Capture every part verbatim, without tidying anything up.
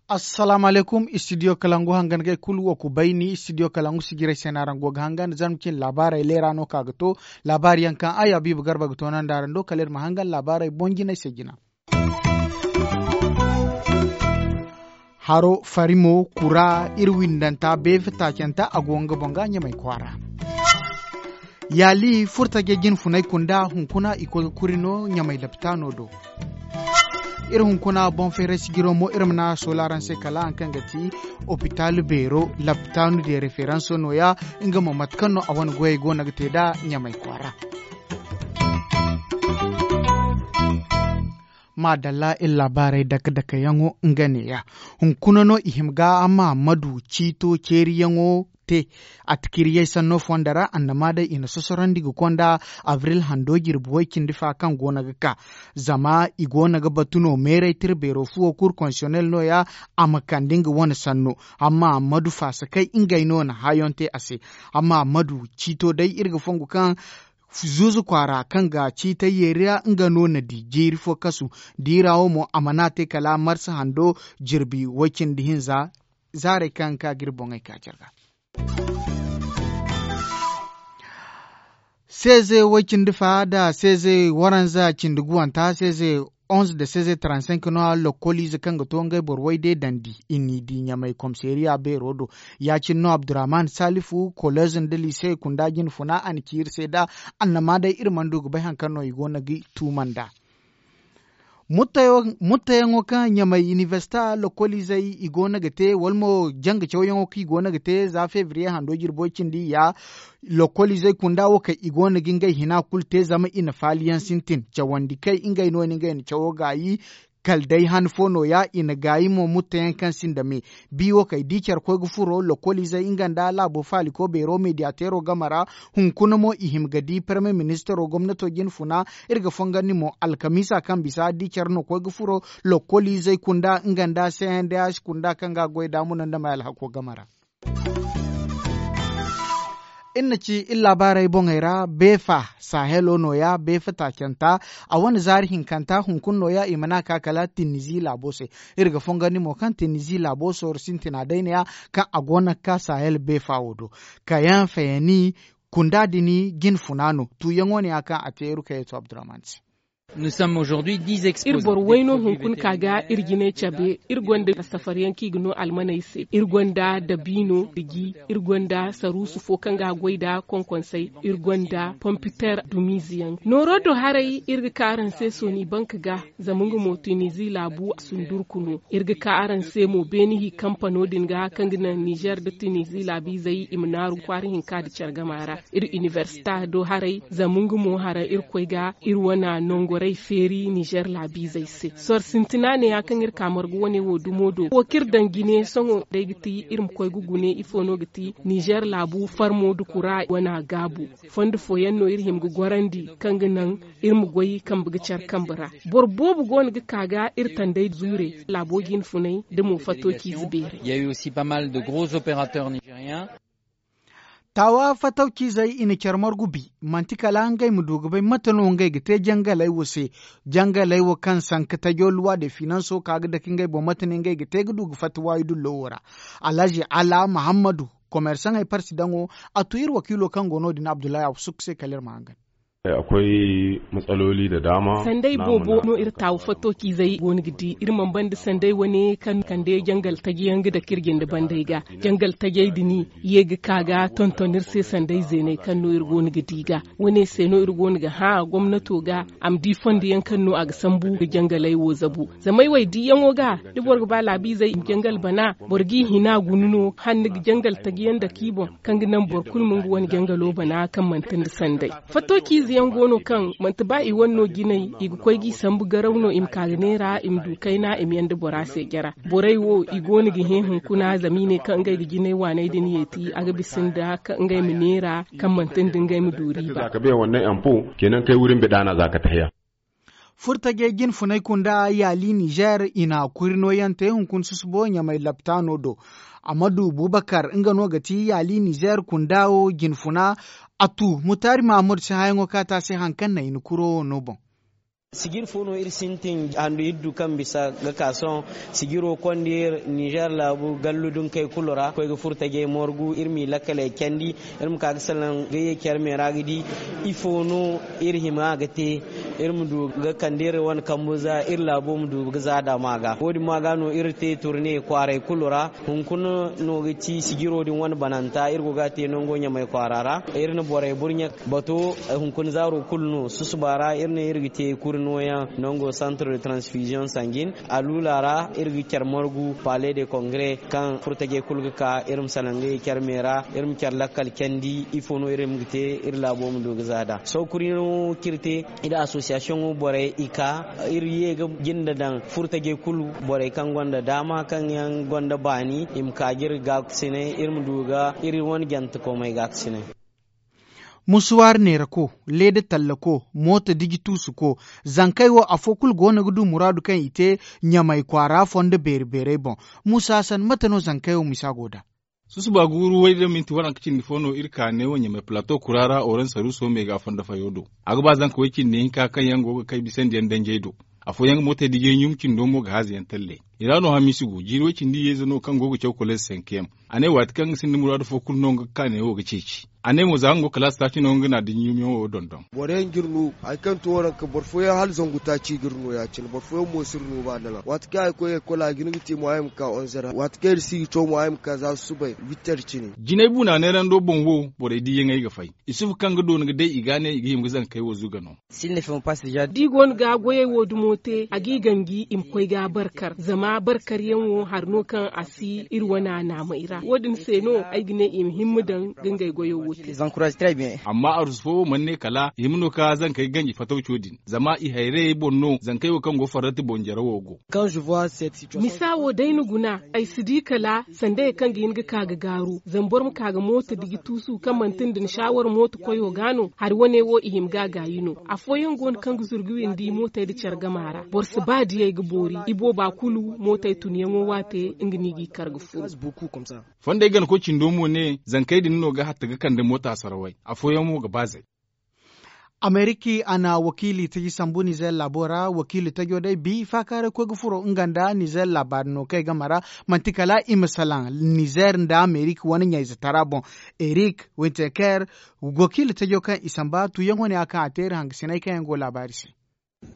Assalaamu alaykum, istidiyo kalangu hangan ga ay kulu wo ku bayni istidiyo kalangu sijirey se no araŋ go ga hangan zarma cine laabaarey leera no ka ga to. Laabaari yaŋ kaŋ ay abiiba garba ga toonandi araŋ do kala iri ma hangan laabaarey boŋ jinay se jina. Haro farimo kura iri windanta beefe taacanta a go nga boŋ ga ɲamay kwaara. Yaali furtajey jinfunay kunda hunkuna i koy ga kuri no ɲamay lapitaano do. Iri hunkuna boŋ feeray sijiro mo iri ma na a soola araŋ se kala haŋ kaŋ ga ti opitaal beero lapitaano de referanso nooya. Nga mo mate kaŋ no a wane goyey go no ga te nd'a ɲamay kwaara. Maadalla iri laabaarey dake-dakeyaŋo nga neeya. Hunkuna no i hima ga mahammadu ciito ceeriyaŋo te. A tikiriyey sanno fonda ra annama day i na sosorandi ga konda abril hando jirbi way cindi fa kaŋ go no ga ka. Zama i go no ga batu no meeray tira beero fuwo kur konsiyonel nooya. A ma kande nga wane sanno amma mahammadu faasakey ngey no na hayoŋ te a se. Amma mahammadu ciito day iri ga fongu kaŋ zuuzu kwaara kaŋ ga ciitay yeeriya nga no na di jeeri fo kasu. Diira wo mo a mana te kala marsa hando jirbi way cindi hinza. Zaarey kaŋ ka ga iri boŋey ka care ga. Seeze way cindi fa nda seeze waranza cindi guwanta seeze onze nda seeze trente cinq no a lokkoliize kaŋ ga to ngey boro way day dandi i n'i di ɲamay komiseeriya beero do. Ya- cine no abdurrahman salifu koleez nda liise kunda jinfuna a na ci iri se nd'a. Annama day iri mana du ga bay hari kaŋ no i go no ga i tuuma nd'a. Muttayaŋo kaŋ ɲamay inibersita lokkoliizey i go no ga te wala mo janga cawyaŋo kaŋ i go no ga te za febriye hando jirbo cindi ya. Lokkoliizey kunda wo kaŋ i go no ga ngey hina kulu te zama i na faaliyaŋ sintin cawandi kay ngey no ni ngey na cawo gaayi. Kala day han fo nooya i na gaayi mo muttayaŋ kaŋ sinda me. Bi wo kay di care koy ga furo lokkoliizey nga nda laabo faaliko beero mediyateero game ra. Hunkuna mo i hima ga di parmiye ministaro gomnato jinfuna. Iri ga fongandi mo alkamiisa kaŋ bisa di care no koy ga furo lokkoliizey kunda nga nda cndas kunda kaŋ ga goy da muna nda may alhako game ra. Iri na ci iri laabaarey boŋey ra beefa sahelo nooya beefa taacanta. A wane zaari hinkanta hunkuna nooya i mana ka kala tinizi laabo se. Iri ga fongandi mo kaŋ tinizi laabo sooru sintina day neeya kaŋ a go no ga ka sahel beefa wo do. Kayaŋ fayani kunda din jinfuna no tuuyaŋo neeya kaŋ a te iri kayeto abdurrahman se. Iri boro wayno hunkuna ka ga iri jinay cabe. Iri gonda safaryaŋ kaŋ i ga no almaney se iri gonda dabiino diji. Iri gonda saruusu fo kaŋ ga a goy nda konkonsey. Iri gonda pompiter dumiize yaŋ nooro do haray iri ga ka araŋ se sooni banka ga. Zama nga mo tunizi laabu a sundurku no. Iri ga ka araŋ se mo beene hi kampano din ga kaŋ ga naŋ nizer nda tunizi laabiizey i ma naaru kwaara hinka nda care gama ra. Iri inibersita do haray zama nga mo hara iri koy ga iri wane nongorey feeri nizer laabiizey se sor sintina neeya kaŋ iri ka margu wane wo dumo do wo kaŋ iri daŋ jine sohõ day ga ti iri ma koy ga gune ifo no ga ti nizer laabu farmo nda kura wane gaabu. Fondo fooyaŋ no iri hima ga gorandi kaŋ ga naŋ iri ma goy kambe ga care kambe ra. Boro boobo go no ga ka ga iri tandey zuure laabo jinfunay nda mo fattociize beerey. Taawa fattawciizey i na care margu bi manti kala ngey ma du ga bay mate no ngey ga te jangaley wo se. Jangaley wo kaŋ sanka tajo luwa de finanso ka ga dake ngey boŋ mate no ngey ga te ga du ga fatta waayi dullo wo ra. Alhazi ala mahammadu komersaŋey parsi daŋo. A tu iri wakiilo kaŋ go no- din abdullahi abusuk se kala iri ma hangan. Akwai matsaloli da dama. Sanday boobo no iri taawu fattociizey go no ga di iri mana banda sanday wane kaŋ kande jangal taji yaŋ ga dake iri jinde bandey ga. Jangal tajey din ye ga ka ga tonton iri se sanday zeeney kaŋ no iri go no ga di ga. Wane se no iri go no ga hã gomnato ga a ma di fondo yaŋ kaŋ no a ga sambu ga jangaley wo zabu. Zama ay wo ay diyaŋo ga da boro ga ba laabiizey i ma jangal bana boro g'i hina guna no hala ni ga jangal taji yaŋ dake i boŋ. Kaŋ ga naŋ boro kulu ma nga wane jangalo bana kaŋ manti nda sanday. Fattociize yaŋ go no kaŋ manti ba i wane no jinay i ga koy g'i sambu garaw no i ma ka ga neera i ma du kayna i ma yanda bora se jara. Borey wo i go no ga hẽ hunkuna zama i ne kaŋ ngey ga jinay waaney din yeeti a ga bisa nda ngey ma neera kaŋ manti nda ngey ma du riiba. Za ka bay wannay ampo kenan kay wurin bida na za ka tahiya. Furtajey jinfunay kunda yaali nizer i na kuri nooyaŋ te hunkuna susubo ɲamay laptaano do. Amadu bubakar nga no ga ti yaali nizeer kunda wo jinfuna. A tu mutaari maamud si hayaŋo kaŋ a te a se hari kaŋ naŋ i na kuro wo no boŋ. Sijir fo no iri sintin handu iri du kaŋ bisa ga ka sohõ. Sijiro konda iri nizeer laabu gallu dunkey kulu ra koy ga furo tajey morgu iri m'i lakkaley candi. Iri ma ka ga salaŋ ga ye care me ra ga di ifo no iri hima ga te. Iri ma du ga kande iri wane kambu za iri laabo ma du ga za daama ga wo- din ma ga no iri te turne kwaaray kulu ra. Hunkuna no ga ti sijiro din wane bananta iri go ga a te nango ɲamay kwaara ra. Iri na borey burɲe bato hunkuna zaaro kulu no susuba ra iri ne iri ga te kuri nooyaŋ nango santre de transfiziyoŋ sanjin. Aluula ra iri ga care margu pale de kongre kaŋ furtajey kulu ga ka iri ma salaŋ ga ye care me ra. Iri ma care lakkal candi ifo no iri ma ga te iri laabo ma du ga za nd'a sohõ kuri no kaŋ iri te. Iri asosiyasiyoŋo borey i ka iri ye ga jinda daŋ furtajey kulu borey kaŋ gonda daama kaŋ yaŋ gonda baani i ma ka ga iri gaakasinay iri ma du ga iri wane jantekomey gaakasinay. Musuwaari neerako, leeda tallako, mooto diji tuusuko, zankey wo afo kulu go no ga du muraadu kaŋ i te ɲamay kwaara fondo beeri beerey boŋ. Muusa hasan mate no zankey wo misa go nd'a? Susuba guuru way da minti waranka cindi fo no iri ka neewo ɲamay palato kura ra oransaruuso me ga fondo fayo do. A ga ba zanka way cindi hinka kaŋ yaŋ go ga kay bisandiyaŋ danjey do. Afooyaŋ ga mootey dijey ɲum cindo mo ga haaza yaŋ talle. I ra no hamiisi go jiiri way cindi yeeze no kaŋ go ga caw koleez senkeyaŋ. A ne waati kaŋ nga sinda muraadu fo kulu no nga ga ka neewo ga ceeci. A ne mo za nga go kalaasi taaci no nga na diji ɲumyaŋo dondon. Boro yaŋ ga iri no hari kaŋ to waranka boro fooyaŋ hala zangu taaci ga iri no ya- cine boro fooyaŋ mo si iri no ba dala waati kaŋ ay ga koy ekol a ga hin ga te mo ay ma ka onzer waati kaŋ iri si ga caw mo ay ma ka za susubay witter cine. Jinay buuna neerando boŋ wo borey diiyaŋey ga fay. Isufu kaŋ ga doona ga day i ga a ne i ga hima ga zankey wo zuga no. Da i go no ga goyey wo dumo te a g'i ganji i ma koy ga a barkar zama barkaryaŋo hari no kaŋ a si iri wane naamey ra wo- din se no ay ga ne i ma himma daŋ ga ngey goyo wo te. Amma arus fo wo mana ne kala i hima no ka zankey ganji fatawco din zama i hayrayey boŋ no zankey wo kaŋ go farrati boŋ jarawo go. Misa wo day ni guna ay si di kala sandayey kaŋ ga hin ga ka ga gaaru zama boro ma ka ga mooto diji tuusu kaŋ manti nda ni saawar mooto koyo ga no hari wane wo i hima ga a gaayi no. Afooyaŋ go no kaŋ ga zuru ga windi mootey nda care gama ra boro si ba diyey ga boori i booba kulu mootey tunyaŋo waate nga no i g'i kar ga furu. Fondey ganakoy cindo mo ne zankey din no ga hatta ga kande moota sarawey afooyaŋ mo ga ba zay. Ameriki a na wakiili taji sambu nizeer laabo ra wakiili tajo day bi faakaaray koy ga furo nga nda nizeer laabaari no kaŋ ay game ra. Manti kala i ma salaŋ nizeer nda ameriki wane ɲayze tara boŋ. Erik winterker wakiili tajo kaŋ i samba tuuyaŋo ne a kaŋ a te iri hangasiney kaŋ yaŋ go laabaari se.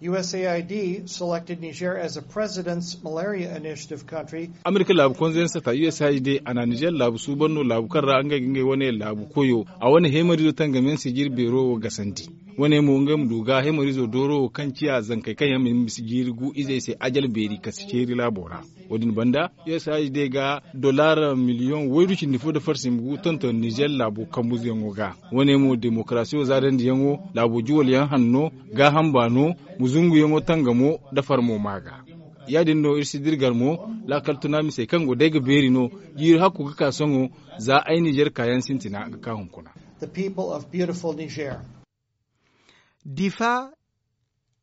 Usaid selected niger as a president's malaria initiative country. Amerika laabu konzeyaŋ sata usaid a na nizer laabu suuban no laabu kaŋ ra ngey ga ngey wane laabu koyo a wane heemarizo tangamiyaŋ sijir beero wo gasandi. Wane mo ngey ma du ga heemarizo dooro wo kaŋ ciya zankey kaŋ yaŋ ma hin bisa jiiri gu izey se ajal beeri kasi ceeri laabo ra. Wo- din banda usaid ga dollar miliyoŋ waydu cindi fo nda farsi ma gu tonton nizer laabo kambuzuyaŋo ga. Wane mo demokarasiyo zaadandiyaŋo laabo juwalyaŋ hanno gaaham baano muzunguyaŋo tangamo nda farmo ma ga. Ya- din no iri si dirgar mo laakal tuna misey kaŋ go day ga beeri no jiiri hakku ga ka sohõ za ay nizer kaayaŋ sintina ga ka hunkuna.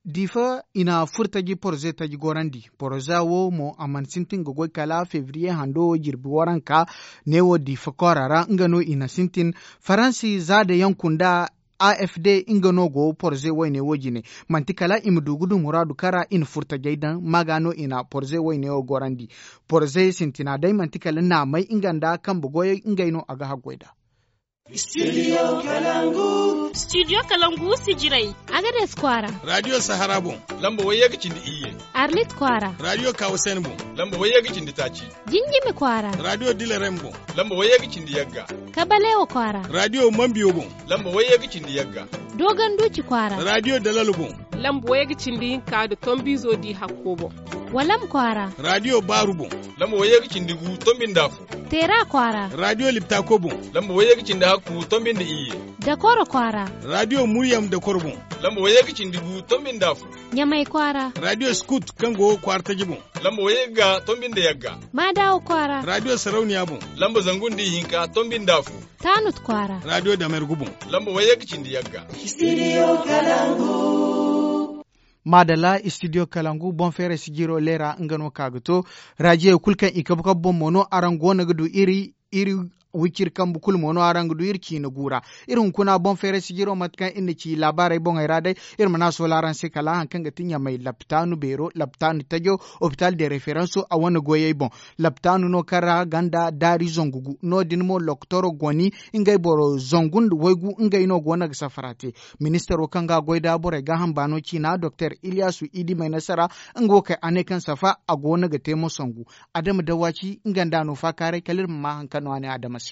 Difa i na furtaji porze taji gorandi porza wo mo a mana sintin ga goy kala febriye hando jirbi waranka. Neewo difa koora ra nga no i na sintin faransi za da yanku nda afd nga no go porze wayne wo jine. Manti kala i ma du ga du muraadu kaŋ ra i na furtajey daŋ ma ga no i na porze wayne wo gorandi. Porze sintina day manti kala naamey nga nda kambe goyey ngey no a ga haggoy nd'a. Studio kalangu sijirey. Agades kwaara. Radio sahara boŋ lamba wayye ga cindi iyye. Arlit kwaara. Radio kawasen boŋ lamba wayye ga cindi taaci. Jinjimi kwaara. Radio dilerem boŋ lamba wayye ga cindi yagga. Kabalewa kwaara. Radio mambiyo boŋ lamba wayye ga cindi yagga. Dogon duuci kwaara. Radio dalalo boŋ lamba wayye ga cindi hinka nda tombizo di hakko boŋ. Walam kwaara. Radio baaru boŋ lamba wayye ga cindi gu tombi nda afo. Teera kwaara. Radio liptako boŋ lamba wayye ga cindi hakku tombi nda iyye. Dakoro kwaara. Radio muryam dakoro boŋ lamba wayye ga cindi gu tombi nda afo. Ɲamay kwaara. Radio skut kaŋ go kwaara taji boŋ lamba wayye ga tombi nda yagga. Maadawa kwaara. Radio sarauniya boŋ lamba zangu nda ihinka tombi nda afo. Taanut kwaara. Radio damergu boŋ lamba wayye ga cindi yagga. Studio kalangu. Maadalla istidiyo kalangu boŋ feeray sijiro leera nga no ka ga to. Raajiyey kulu kaŋ i kabu kabu boŋ mo no araŋ go no ga du iri iri wiciri kambe kulu mo no araŋ ga du iri ciina gu ra. Iri hunkuna boŋ feeray sijiro mate kaŋ iri na ci laabaarey boŋey ra day. Iri mana soola araŋ se kala hari kaŋ ga ti ɲamay laptaanu beero laptaanu tajo, opital de referanso a wane goyey boŋ. Laptaanu no kaŋ ra ganda daari zangu gu no- din mo loktoro goni ngey boro zangu nda waygu ngey no go no ga safara te. Ministaro kaŋ ga a goy nd'a borey gaaham baano ciina doktor iliyasu idi may nasara, nga wo kay a ne kaŋ safa a go no ga te mo sangu. Adama dawaaci nga nd'a no faakaaray kala iri ma maa hari kaŋ no a ne adama se.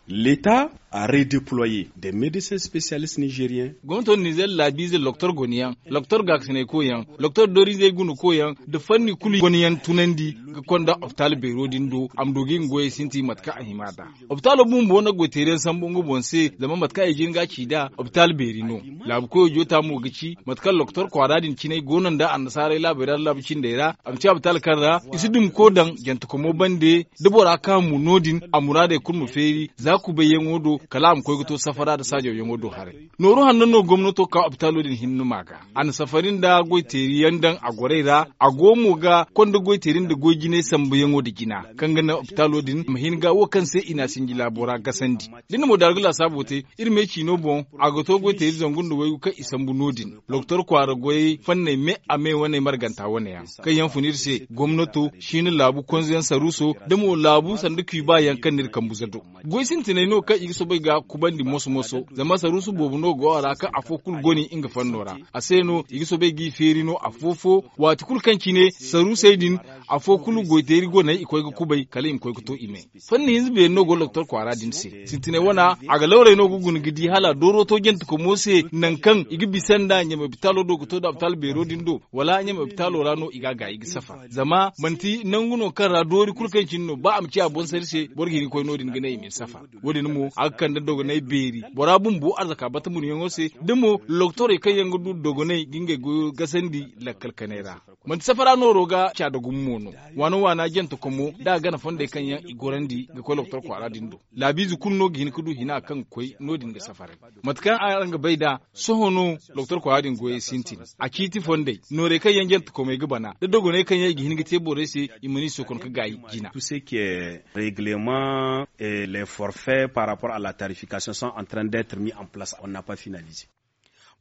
Leta a redeploye de medecin spesiyalist nizeriyen. Gomnato nizer laabiize doktor goniyaŋ, doktor gaakasinay koyyaŋ, doktor doriizey guna koyyaŋ, nda fanni kulu goniyaŋ tunandi ga konda opitaal beero din do a ma du ga i ma goyey sintin mate kaŋ a hima nd'a. Opitaalo bumbo na goyteeriyaŋ sambu nga boŋ se zama mate kaŋ ay jin ga a ci nd'a opitaal beeri no. Laabu koyo joota mo ga ci mate kaŋ doktor kwaara din cinay go no nda annasaarey laabey ra nda laabu cindey ra a ma ci opitaal kaŋ ra i si dumi ko daŋ jantekomo bande, da bora kaŋ a mu no- din a muraadey kulu ma feeri za kubayyaŋo do kala a ma koy ga to safara nda saajawyaŋo do haray. Nooru hanno no gomnato ka opitaalo din hinne ma ga a na safari nda goyteeriyaŋ daŋ a gorey ra. A go mo ga konda goyteeri nda goy jinay sambuyaŋo nda jina kaŋ ga naŋ opitaalo din ma hin ga wo kaŋ se i n'a sinji laabo ra gasandi. Da ni na mo daara ga laasaabo te iri me ciino boŋ a ga to goyteeri zangu nda waygu kaŋ i sambu no- din. Doktor kwaara goyey fanney me a me wane marganta wane yaŋ kaŋ yaŋ fun iri se gomnato, siina laabu konzeyaŋ saruuso, da mo laabu sanda kuuba yaŋ kaŋ no iri kambu za do. Goy sintiney no kaŋ i ga soobay ga kubandi moso moso zama saruusu boobo no go a ra kaŋ afo kulu goni nga fanno ra. A se no i ga soobay g'i feeri no afo fo waati kulu kaŋ cine saruusey din afo kulu goyteeri goney i koy ga kubay kala i ma koy ga to i me. Fanni hinza beeri no go doktor kwaara din se sintiney wana, a ga lawrey no ga guna ga di hala dooro to jantekomo se nangu kaŋ i ga bisa nda ɲamay opitaalo do ga to nda opitaal beero din do, wala ɲamay opitaalo ra no i ga a gaayi ga safa zama manti nangu no kaŋ ra doori kulu kaŋ cine no ba a ma ciya boŋ sari se boro ga hin ga koy no- din ga ne i ma ni safa. Wo- din mo a ga kande dogonay beeri bora bumbo arzaka bata muryaŋo se, da mo doktorey kaŋ yaŋ ga du dogonay ga ngey goyo gasandi lakkal kanay ra. Manti safara nooro ga ca da gumo mo no. Waana waana jante komo da a gana fondey kaŋ yaŋ i gorandi ga koy lokotor kwaara din do. Laabiize kulu no ga hin ga du hina kaŋ ga koy no- din ga safaray. Mate kaŋ araŋ ga bay nd'a, sohõ no lokotor kwaara din goyey sintin. A ciiti fondey noorey kaŋ yaŋ jante komey ga bana da dogoney kaŋ yaŋ i ga hin ga te borey se, i mana i sokon ga gaayi jina. Tout ce qui est règlement et les forfaits par rapport à la tarification sont en train d'être mis en place, on n'a pas finalisé.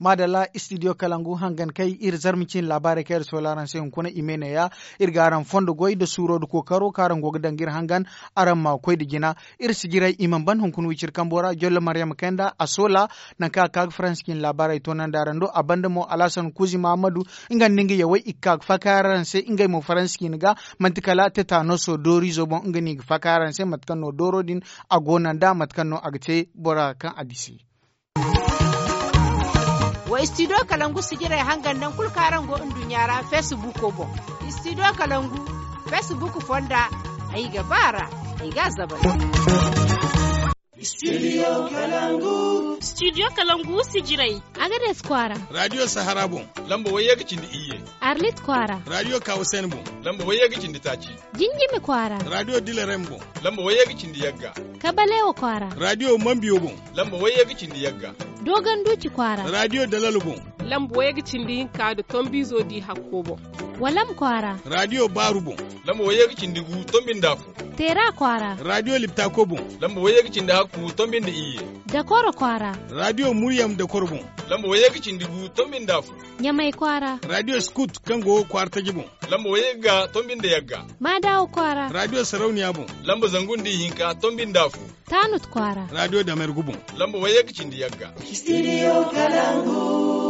Maadalla studio kalangu hangan kay iri zarma cine laabaarey kaŋ iri soola araŋ se hunkuna i me neeya. Iri ga araŋ fondo goy nda suuro nda kookaro kaŋ araŋ go ga daŋ ga iri hangan, araŋ ma koy nda jina. Iri sijirey i mana ban hunkuna wiciri kambo ra jollo maryama kayna nda a soola. Nangu kaŋ a ga ka ga faransi cine laabaarey toonandi araŋ do a banda mo alhasan kuuzi mahamadu, nga nda nga yawey i ga ka ga faakay araŋ se ngey mo faransi cine ga. Manti kala tetanoso dooriizo boŋ nga no i ga faakay araŋ se mate kaŋ no dooro din a go no nd'a mate kaŋ no a ga te bora kaŋ a di se. Wa studio kalangu sijirey hangan nangu kulu kaŋ araŋ go nduɲɲa ra feesibuuko boŋ. Studio kalangu feesibuuko fonda, ay ga ba a ra, ay ga a zabari. Studio kalangu. Studio kalangu sijirey. Agades kwaara. Radio sahara boŋ. Lamba wayye ga cindi iyye. Arlit kwaara. Radio kawasen boŋ. Lamba wayye ga cindi taaci. Jinjimi kwaara. Radio dilerem boŋ. Lamba wayye ga cindi yagga. Kabalewa kwaara. Radio mambiyo boŋ. Lamba wayye ga cindi yagga. Dogon duuci kwaara. Radio dalalo boŋ. Lamba wayye ga cindi hinka nda tombiizo di hakko boŋ. Walam kwaara. Radio baaru boŋ. Lamba wayye ga cindi gu tombi nda fu. Teera kwaara. Radio liptako boŋ. Lamba wayye ga cindi hakku tombi nda iyye. Dakoro kwaara. Radio muryam dakoro boŋ. Lamba wayye ga cindi gu tombi nda fu. Ɲamay kwaara. Radio scout kaŋ go kwaara taji boŋ. Lamba wayye ga tombi nda yagga. Maadawa kwaara. Radio sarauniya boŋ. Lamba zangu nda ihinka tombi nda fu. Tanut kwaara. Radio damergu boŋ. Lamba wayye ga cindi yagga. Studio kalangu.